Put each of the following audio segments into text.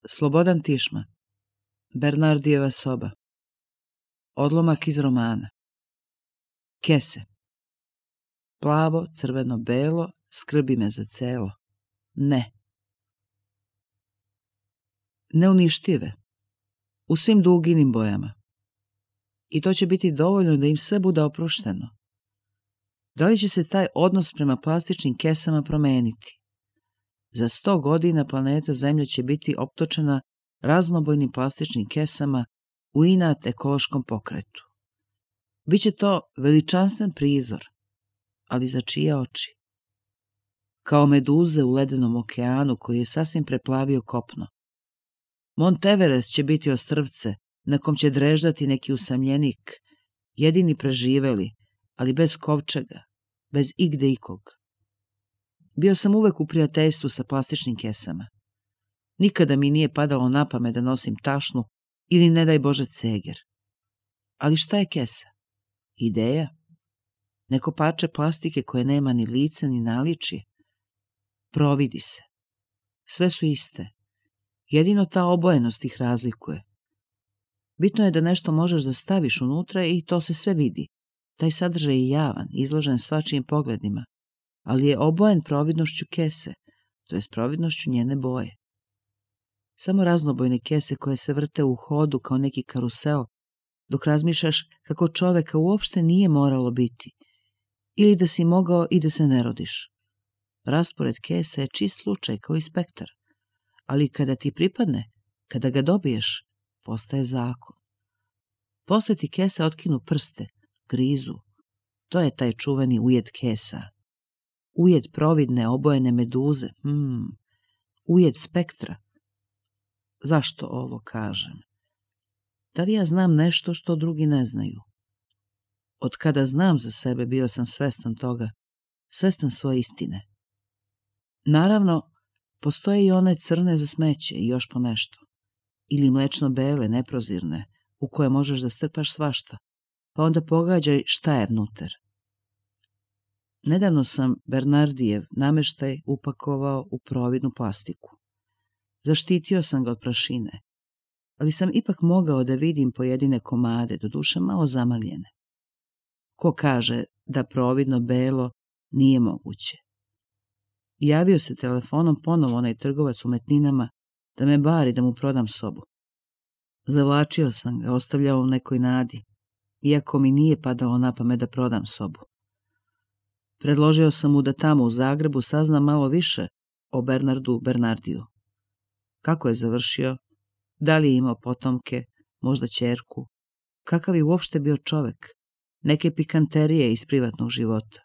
Slobodan Tišma. Bernardijeva soba. Odlomak iz romana. Kese. Plavo, crveno, belo, skrbi me za celo. Ne. Neuništive. U svim duginim bojama. I to će biti dovoljno da im sve bude oprošteno. Da li će se taj odnos prema plastičnim kesama promeniti? Za 100 godina planeta Zemlja će biti optočena raznobojnim plastičnim kesama u inat ekološkom pokretu. Biće to veličanstven prizor, ali za čije oči? Kao meduze u ledenom okeanu koji je sasvim preplavio kopno. Mont Everest će biti ostrvce na kom će dreždati neki usamljenik, jedini preživeli, ali bez kovčega, bez igde ikog. Bio sam uvek u prijateljstvu sa plastičnim kesama. Nikada mi nije padalo na pamet da nosim tašnu ili ne daj Bože ceger. Ali šta je kesa? Ideja? Neko parče plastike koje nema ni lice ni naličje? Providi se. Sve su iste. Jedino ta obojenost ih razlikuje. Bitno je da nešto možeš da staviš unutra i to se sve vidi. Taj sadržaj je javan, izložen svačijim pogledima, ali je obojen providnošću kese, to je providnošću njene boje. Samo raznobojne kese koje se vrte u hodu kao neki karusel, dok razmišljaš kako čoveka uopšte nije moralo biti, ili da si mogao i da se ne rodiš. Raspored kesa je čist slučaj kao i spektar, ali kada ti pripadne, kada ga dobiješ, postaje zakon. Posle ti kese otkinu prste, grizu. To je taj čuveni ujed kesa. Ujed providne obojene meduze. Ujed spektra. Zašto ovo kažem? Da li ja znam nešto što drugi ne znaju? Od kada znam za sebe bio sam svestan toga, svestan svoje istine. Naravno, postoje i one crne za smeće i još po nešto. Ili mlečno-bele, neprozirne, u koje možeš da strpaš svašta, pa onda pogađaj šta je vnutar. Nedavno sam Bernardijev nameštaj upakovao u providnu plastiku. Zaštitio sam ga od prašine, ali sam ipak mogao da vidim pojedine komade, doduše malo zamagljene. Ko kaže da providno belo nije moguće? Javio se telefonom ponovo onaj trgovac umetninama da me bari da mu prodam sobu. Zavlačio sam ga, ostavljao u nekoj nadi, iako mi nije padalo na pamet da prodam sobu. Predložio sam mu da tamo u Zagrebu sazna malo više o Bernardu Bernardiju. Kako je završio? Da li je imao potomke, možda ćerku? Kakav je uopšte bio čovek? Neke pikanterije iz privatnog života.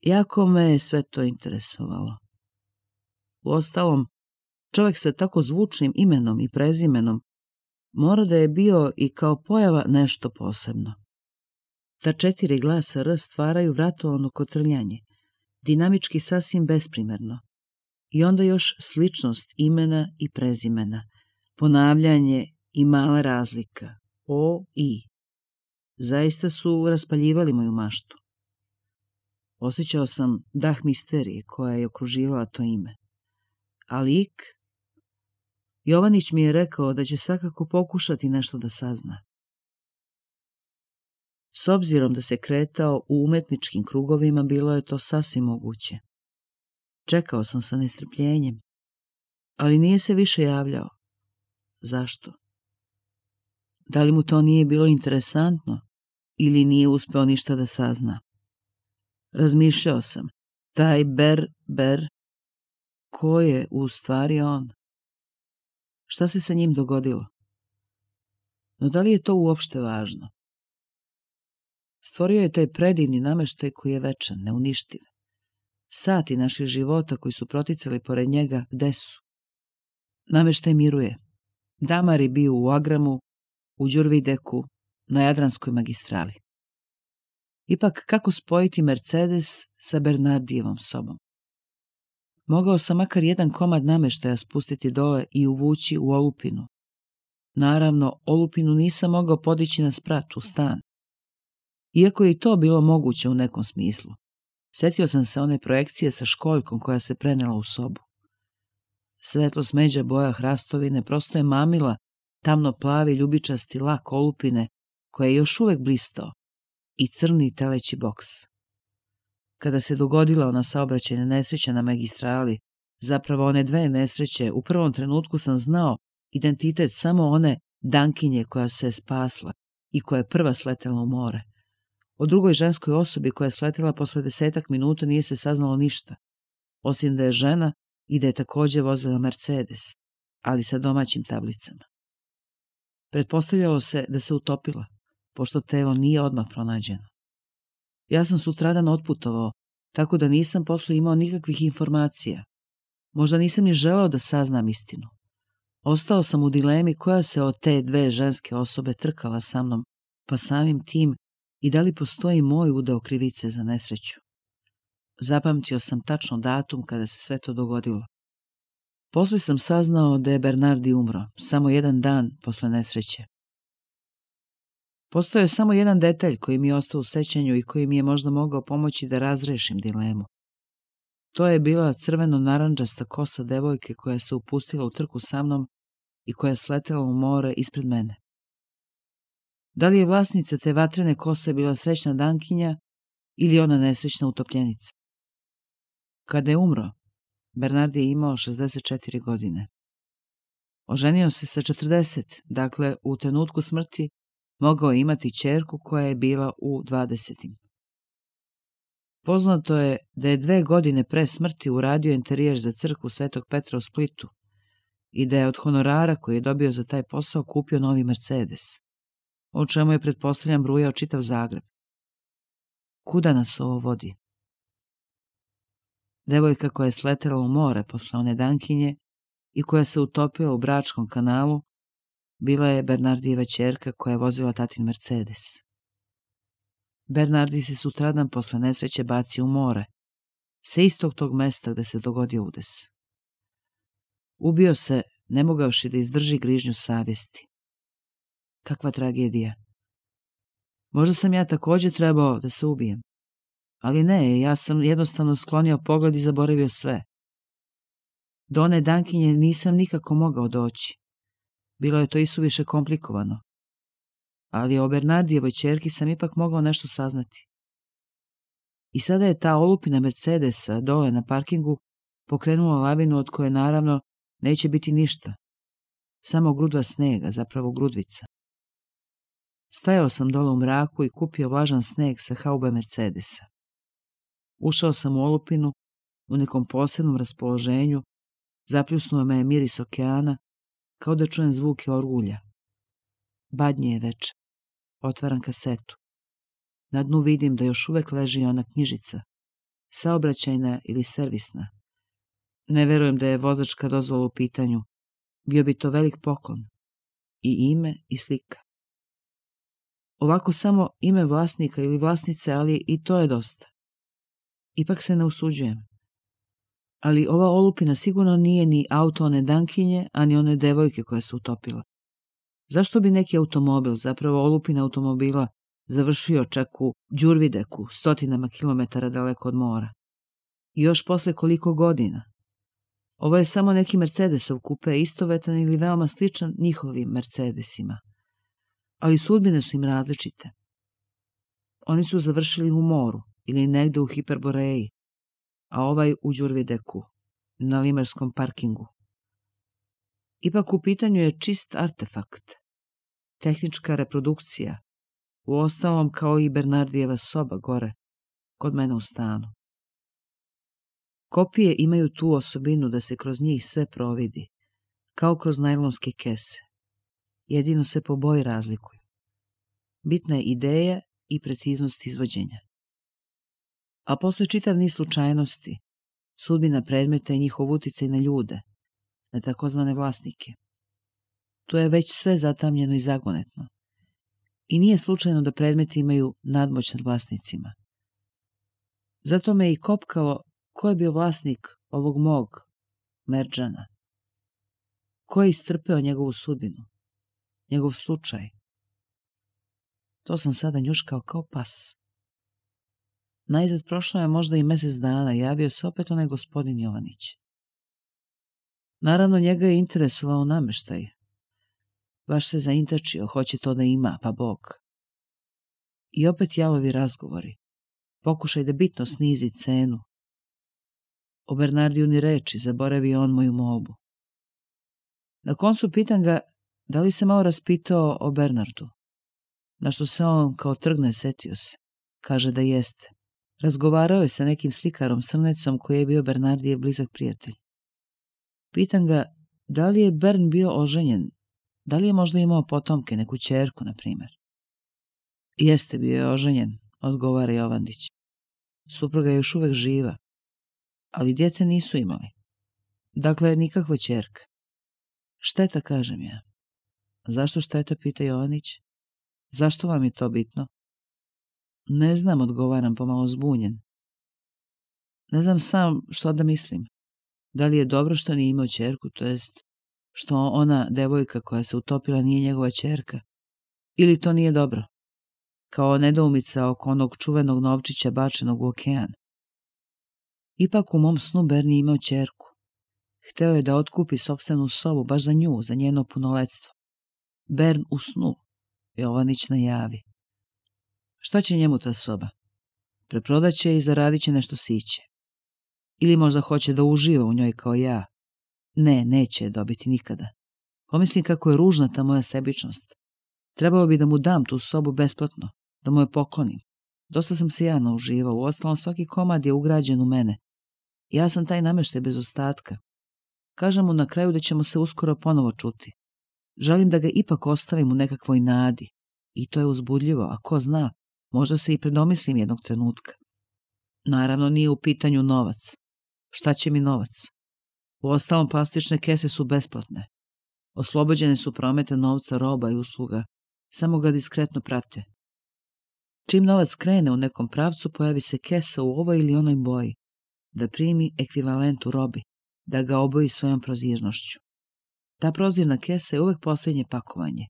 Jako me je sve to interesovalo. Uostalom, čovek sa tako zvučnim imenom i prezimenom mora da je bio i kao pojava nešto posebno. Ta 4 glasa R stvaraju vratolovno kotrljanje, dinamički sasvim besprimerno. I onda još sličnost imena i prezimena, ponavljanje i mala razlika, O, I. Zaista su raspaljivali moju maštu. Osjećao sam dah misterije koja je okruživala to ime. Ali ik, Jovanić mi je rekao da će svakako pokušati nešto da sazna. S obzirom da se kretao u umetničkim krugovima, bilo je to sasvim moguće. Čekao sam sa nestrpljenjem, ali nije se više javljao. Zašto? Da li mu to nije bilo interesantno ili nije uspeo ništa da sazna? Razmišljao sam, taj Ber, ko je u stvari on? Šta se sa njim dogodilo? No da li je to uopšte važno? Stvorio je taj predivni nameštaj koji je večan, neuništiv. Sati naših života koji su proticali pored njega, gde su? Nameštaj miruje. Damar je bio u Agramu, u Đurvideku, na Jadranskoj magistrali. Ipak, kako spojiti Mercedes sa Bernardijevom sobom? Mogao sam makar jedan komad nameštaja spustiti dole i uvući u olupinu. Naravno, olupinu nisam mogao podići na sprat u stan. Iako je i to bilo moguće u nekom smislu. Setio sam se one projekcije sa školjkom koja se prenela u sobu. Svetlo smeđa boja hrastovine prosto je mamila tamno plavi ljubičasti lak olupine koja je još uvek blistao i crni teleći boks. Kada se dogodila ona saobraćajna nesreća na magistrali, zapravo one dve nesreće, u prvom trenutku sam znao identitet samo one Dankinje koja se je spasla i koja je prva sletela u more. O drugoj ženskoj osobi koja je sletela posle 10 minuta nije se saznalo ništa, osim da je žena i da je takođe vozila Mercedes, ali sa domaćim tablicama. Pretpostavljalo se da se utopila, pošto telo nije odmah pronađeno. Ja sam sutradan otputovao, tako da nisam posle imao nikakvih informacija. Možda nisam ni želeo da saznam istinu. Ostao sam u dilemi koja se od te dve ženske osobe trkala sa mnom, pa samim tim i da li postoji moj udeo krivice za nesreću. Zapamtio sam tačno datum kada se sve to dogodilo. Posle sam saznao da je Bernardi umro, samo jedan dan posle nesreće. Postojao je samo jedan detalj koji mi je ostao u sećanju i koji mi je možda mogao pomoći da razrešim dilemu. To je bila crveno-narandžasta kosa devojke koja se upustila u trku sa mnom i koja je sletela u more ispred mene. Da li je vlasnica te vatrene kose bila srećna Dankinja ili ona nesrećna utopljenica? Kada je umro, Bernardi je imao 64 godine. Oženio se sa 40, dakle u trenutku smrti mogao je imati ćerku koja je bila u 20. Poznato je da je 2 godine pre smrti uradio interijer za crkvu Svetog Petra u Splitu i da je od honorara koji je dobio za taj posao kupio novi Mercedes, o čemu je, pretpostavljam, brujao čitav Zagreb. Kuda nas ovo vodi? Devojka koja je sletela u more posle one Dankinje i koja se utopila u Bračkom kanalu bila je Bernardijeva ćerka koja je vozila tatin Mercedes. Bernardi se sutradan posle nesreće bacio u more, sa istog tog mesta gde se dogodio udes. Ubio se, ne mogavši da izdrži grižnju savjesti. Kakva tragedija. Možda sam ja takođe trebao da se ubijem. Ali ne, ja sam jednostavno sklonio pogled i zaboravio sve. Do one Dankinje nisam nikako mogao doći. Bilo je to isuviše komplikovano. Ali o Bernardijevoj ćerki sam ipak mogao nešto saznati. I sada je ta olupina Mercedesa dole na parkingu pokrenula lavinu od koje naravno neće biti ništa. Samo grudva snega, zapravo grudvica. Stajao sam dole u mraku i kupio vlažan sneg sa haube Mercedesa. Ušao sam u olupinu u nekom posebnom raspoloženju, zapljusnuo me je miris okeana, kao da čujem zvuke orgulja. Badnje je veče. Otvaram kasetu. Na dnu vidim da još uvek leži ona knjižica, saobraćajna ili servisna. Ne verujem da je vozačka dozvola u pitanju. Bio bi to velik poklon. I ime i slika. Ovako samo ime vlasnika ili vlasnice, ali i to je dosta. Ipak se ne usuđujem. Ali ova olupina sigurno nije ni auto one Dankinje, a ni one devojke koja se utopila. Zašto bi neki automobil, zapravo olupina automobila, završio čak u Đurvideku, stotinama kilometara daleko od mora? I još posle koliko godina? Ovo je samo neki Mercedesov kupe, istovetan ili veoma sličan njihovim Mercedesima. Ali sudbine su im različite. Oni su završili u moru ili negde u Hiperboreji, a ovaj u Đurvideku, na limerskom parkingu. Ipak u pitanju je čist artefakt, tehnička reprodukcija, uostalom kao i Bernardijeva soba gore, kod mene u stanu. Kopije imaju tu osobinu da se kroz njih sve providi, kao kroz najlonske kese. Jedino se po boji razlikuju. Bitna je ideja i preciznost izvođenja. A posle čitav niz slučajnosti, sudbina predmeta i njihov uticaj na ljude, na takozvane vlasnike. Tu je već sve zatamljeno i zagonetno. I nije slučajno da predmeti imaju nadmoć nad vlasnicima. Zato me i kopkalo ko je bio vlasnik ovog mog Merdžana. Ko je istrpeo njegovu sudbinu, njegov slučaj. To sam sada njuškao kao pas. Najzad prošlo je možda i mesec dana, javio se opet onaj gospodin Jovanić. Naravno, njega je interesovao nameštaj. Baš se zaintačio, hoće to da ima, pa Bog. I opet jalovi razgovori. Pokušaj da bitno snizi cenu. O Bernardiju ni reči, zaboravi on moju molbu. Na koncu pitam ga da li se malo raspitao o Bernardu. Na što se on kao trgne, setio se. Kaže da jeste. Razgovarao je sa nekim slikarom Srnecom koji je bio Bernardijev blizak prijatelj. Pitam ga da li je Bern bio oženjen, da li je možda imao potomke, neku ćerku, na primjer. Jeste, bio je oženjen, odgovara Jovandić. Supruga je još uvek živa, ali djece nisu imali. Dakle, nikakva ćerka. Šteta, kažem ja. Zašto šteta, pita Jovanić. Zašto vam je to bitno? Ne znam, odgovaram pomalo zbunjen. Ne znam sam što da mislim. Da li je dobro što nije imao ćerku, to jest što ona devojka koja se utopila nije njegova ćerka? Ili to nije dobro? Kao nedoumica oko onog čuvenog novčića bačenog u okean. Ipak u mom snu Bern je imao ćerku. Hteo je da otkupi sopstvenu sobu baš za nju, za njeno punoletstvo. Bern u snu, Jovanić najavi. Šta će njemu ta soba? Preprodaće i zaradit će nešto siće. Ili možda hoće da uživa u njoj kao ja. Ne, neće je dobiti nikada. Pomislim kako je ružna ta moja sebičnost. Trebalo bi da mu dam tu sobu besplatno, da mu je poklonim. Dosta sam se ja nauživao, uostalom svaki komad je ugrađen u mene. Ja sam taj nameštaj bez ostatka. Kažem mu na kraju da ćemo se uskoro ponovo čuti. Želim da ga ipak ostavim u nekakvoj nadi. I to je uzbudljivo, a ko zna, možda se i predomislim jednog trenutka. Naravno, nije u pitanju novac. Šta će mi novac? Uostalom, plastične kese su besplatne. Oslobođene su prometa novca, roba i usluga. Samo ga diskretno prate. Čim novac krene u nekom pravcu, pojavi se kesa u ovoj ili onoj boji. Da primi ekvivalent u robi. Da ga oboji svojom prozirnošću. Ta prozirna kesa je uvek posljednje pakovanje.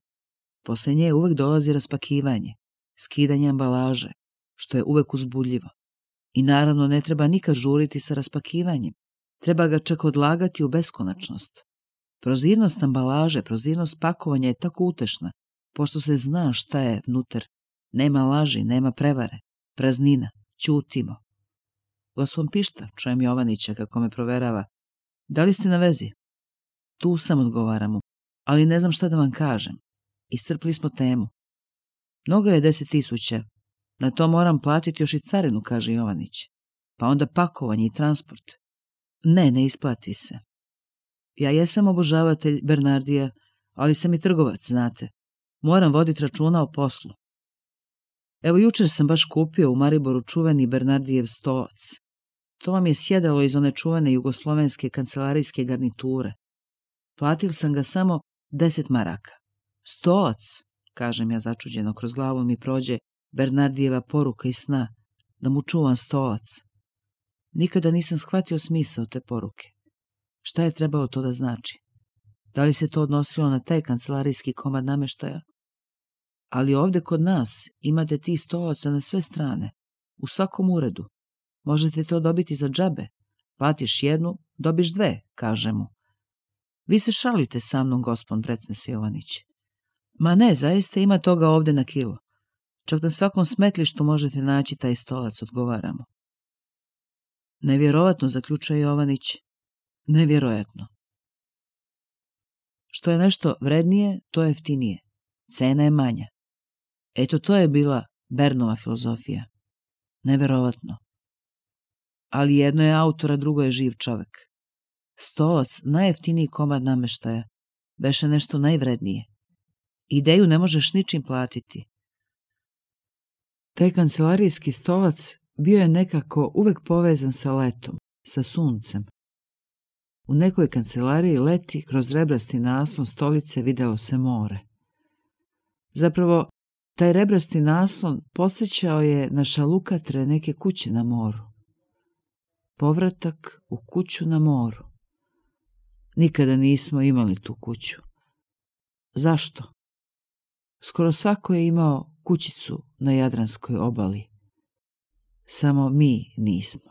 Posle nje uvek dolazi raspakivanje, skidanje ambalaže, što je uvek uzbudljivo. I naravno ne treba nikad žuriti sa raspakivanjem. Treba ga čak odlagati u beskonačnost. Prozirnost ambalaže, prozirnost pakovanja je tako utešna, pošto se zna šta je vnutar. Nema laži, nema prevare, praznina, ćutimo. Gospon Pišta, čujem Jovanića kako me proverava. Da li ste na vezi? Tu sam, odgovaram mu, ali ne znam šta da vam kažem. Iscrpli smo temu. Mnogo je 10.000. Na to moram platiti još i carinu, kaže Jovanić. Pa onda pakovanje i transport. Ne isplati se. Ja jesam obožavatelj Bernardija, ali sam i trgovac, znate. Moram voditi računa o poslu. Evo jučer sam baš kupio u Mariboru čuveni Bernardijev stolac. To vam je sjedalo iz one čuvene jugoslovenske kancelarijske garniture. Platil sam ga samo 10 maraka. Stolac, kažem ja začuđeno, kroz glavu mi prođe Bernardijeva poruka iz sna, da mu čuvam stolac. Nikada nisam shvatio smisao te poruke. Šta je trebalo to da znači? Da li se to odnosilo na taj kancelarijski komad nameštaja? Ali ovde kod nas imate ti stolaca na sve strane, u svakom uredu. Možete to dobiti za džabe. Platiš jednu, dobiš dve, kaže mu. Vi se šalite sa mnom, gospon, brecne se Jovanić. Ma ne, zaista ima toga ovde na kilo. Čak na svakom smetlištu možete naći taj stolac, odgovaramo. Nevjerovatno, zaključuje Jovanić. Nevjerojatno. Što je nešto vrednije, to je jeftinije. Cena je manja. Eto, to je bila Bernova filozofija. Neverovatno. Ali jedno je autor, a drugo je živ čovek. Stolac, najjeftiniji komad nameštaja, beše nešto najvrednije. Ideju ne možeš ničim platiti. Taj kancelarijski stolac bio je nekako uvek povezan sa letom, sa suncem. U nekoj kancelariji leti kroz rebrasti naslon stolice videlo se more. Zapravo, taj rebrasti naslon podsjećao je na šalukatre neke kuće na moru. Povratak u kuću na moru. Nikada nismo imali tu kuću. Zašto? Skoro svako je imao kućicu na Jadranskoj obali. Samo mi nismo.